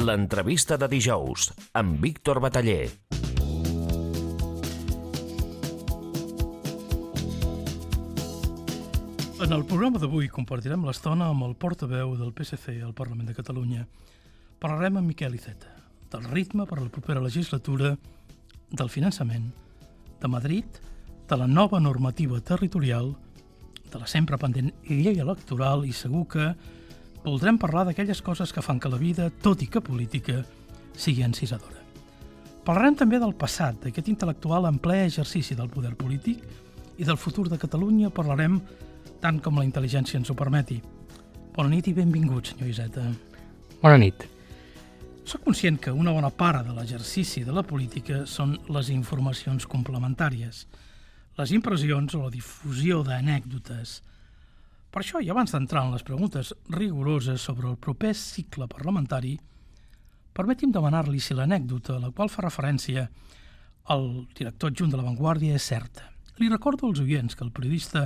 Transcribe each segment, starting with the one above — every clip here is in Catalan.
L'entrevista de dijous, amb Víctor Bataller. En el programa d'avui compartirem l'estona amb el portaveu del PSC al Parlament de Catalunya. Parlarem amb Miquel Iceta, del ritme per a la propera legislatura, del finançament, de Madrid, de la nova normativa territorial, de la sempre pendent llei electoral i segur que voldrem parlar d'aquelles coses que fan que la vida, tot i que política, sigui encisadora. Parlarem també del passat, d'aquest intel·lectual en ple exercici del poder polític i del futur de Catalunya parlarem tant com la intel·ligència ens ho permeti. Bona nit i benvingut, senyor Iceta. Bona nit. Soc conscient que una bona part de l'exercici de la política són les informacions complementàries, les impressions o la difusió d'anècdotes. Per això, i abans d'entrar en les preguntes rigoroses sobre el proper cicle parlamentari, permeti'm demanar-li si l'anècdota a la qual fa referència el director adjunt de La Vanguardia és certa. Li recordo als oients que el periodista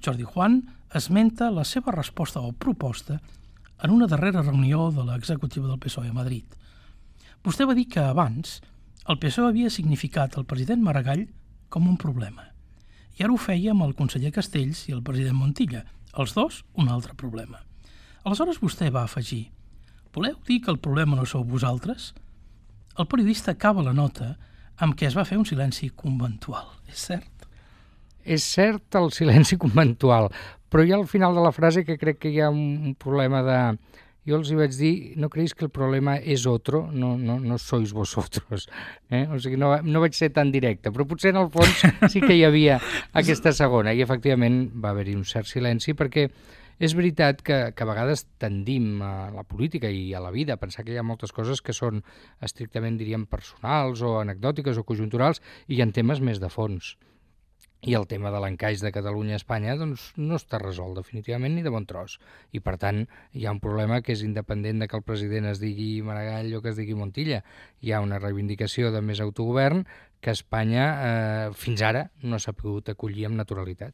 Jordi Juan esmenta la seva resposta o proposta en una darrera reunió de l'executiva del PSOE a Madrid. Vostè va dir que abans el PSOE havia significat el president Maragall com un problema. I ara ho feia amb el conseller Castells i el president Montilla, els dos un altre problema. Aleshores vostè va afegir: voleu dir que el problema no sou vosaltres? El periodista acaba la nota amb què es va fer un silenci conventual. És cert? És cert el silenci conventual, però hi ha al final de la frase que crec que hi ha un problema de... Jo els hi vaig dir, no creguis que el problema és otro, no sois vosotros. O sigui, no vaig ser tan directe, però potser en el fons sí que hi havia aquesta segona, i efectivament va haver-hi un cert silenci, perquè és veritat que a vegades tendim a la política i a la vida a pensar que hi ha moltes coses que són estrictament, diríem, personals o anecdòtiques o conjunturals, i hi ha temes més de fons. I el tema de l'encaix de Catalunya a Espanya doncs, no està resolt definitivament ni de bon tros. I per tant hi ha un problema que és independent de que el president es digui Maragall o que es digui Montilla. Hi ha una reivindicació de més autogovern que Espanya fins ara no s'ha pogut acollir amb naturalitat.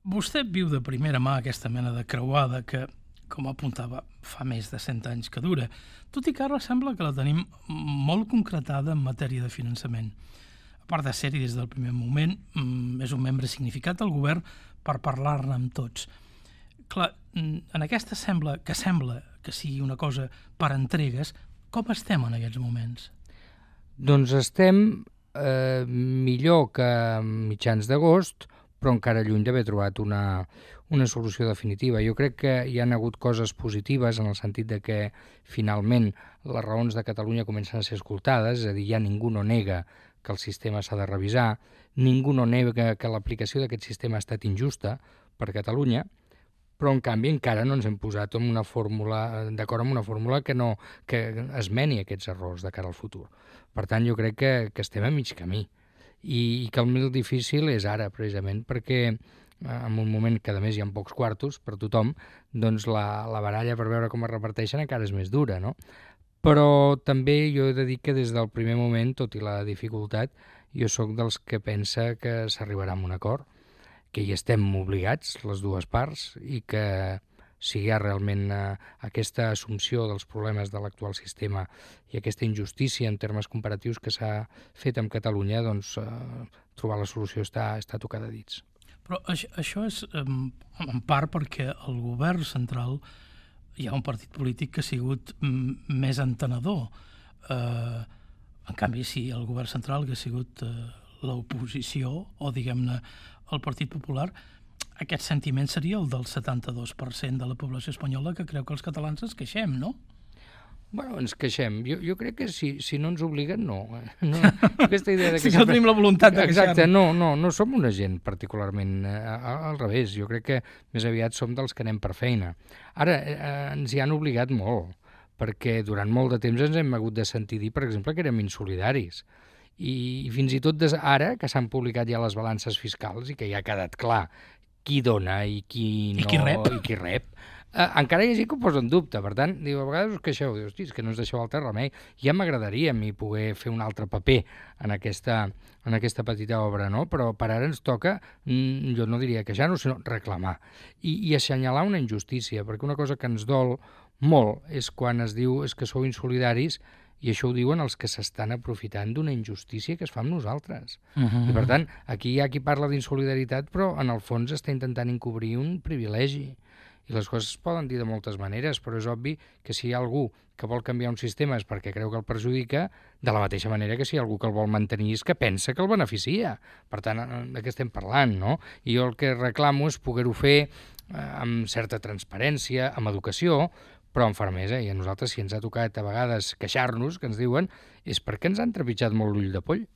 Vostè viu de primera mà aquesta mena de creuada que, com apuntava, fa més de 100 anys que dura, tot i que ara sembla que la tenim molt concretada en matèria de finançament. A part de ser-hi des del primer moment, és un membre significat del govern per parlar-ne amb tots. Clar, en aquesta sembla que sigui una cosa per entregues, com estem en aquests moments? Doncs estem millor que mitjans d'agost, però encara lluny d'haver trobat una solució definitiva. Jo crec que hi han hagut coses positives en el sentit de que finalment les raons de Catalunya comencen a ser escoltades, és a dir, ja ningú no nega que el sistema s'ha de revisar, ningú no nega que l'aplicació d'aquest sistema ha estat injusta per Catalunya, però en canvi encara no ens hem posat d'acord amb una fórmula que esmeni aquests errors de cara al futur. Per tant, jo crec que estem a mig camí i que el més difícil és ara, precisament, perquè en un moment que a més hi ha pocs quartos per tothom, doncs la baralla per veure com es reparteixen encara és més dura, no? Però també jo he de dir que des del primer moment, tot i la dificultat, jo sóc dels que pensa que s'arribarà a un acord, que hi estem obligats, les dues parts, i que si hi ha realment aquesta assumpció dels problemes de l'actual sistema i aquesta injustícia en termes comparatius que s'ha fet amb Catalunya, doncs trobar la solució està a tocar de dits. Però això és en part perquè el govern central hi ha un partit polític que ha sigut més entenedor. En canvi, si el govern central hagués sigut l'oposició o, diguem-ne, el Partit Popular, aquest sentiment seria el del 72% de la població espanyola que creu que els catalans ens queixem, no? Bueno, ens queixem. Jo crec que si no ens obliguen, no. Aquesta idea de que sí que tenim la voluntat de queixar-nos. Exacte, no som una gent particularment al revés. Jo crec que més aviat som dels que anem per feina. Ara, ens hi han obligat molt, perquè durant molt de temps ens hem hagut de sentir dir, per exemple, que érem insolidaris. I fins i tot ara, que s'han publicat ja les balances fiscals i que ja ha quedat clar qui dona i qui no i qui rep, encara hi ha gent que ho posa en dubte. Per tant, a vegades us queixeu, dius, hosti, és que no us deixeu altre remei. Ja m'agradaria a mi poder fer un altre paper en aquesta petita obra, no? Però per ara ens toca, jo no diria queixar-nos, sinó reclamar i assenyalar una injustícia, perquè una cosa que ens dol molt és quan es diu és que sou insolidaris, i això ho diuen els que s'estan aprofitant d'una injustícia que es fa amb nosaltres. I per tant, aquí hi ha qui parla d'insolidaritat, però en el fons està intentant encobrir un privilegi. I les coses es poden dir de moltes maneres, però és obvi que si hi ha algú que vol canviar un sistema és perquè creu que el perjudica, de la mateixa manera que si hi ha algú que el vol mantenir és que pensa que el beneficia. Per tant, de què estem parlant, no? I jo el que reclamo és poder-ho fer amb certa transparència, amb educació, però amb fermesa. I a nosaltres, si ens ha tocat a vegades queixar-nos, que ens diuen, és perquè ens han trepitjat molt l'ull de poll.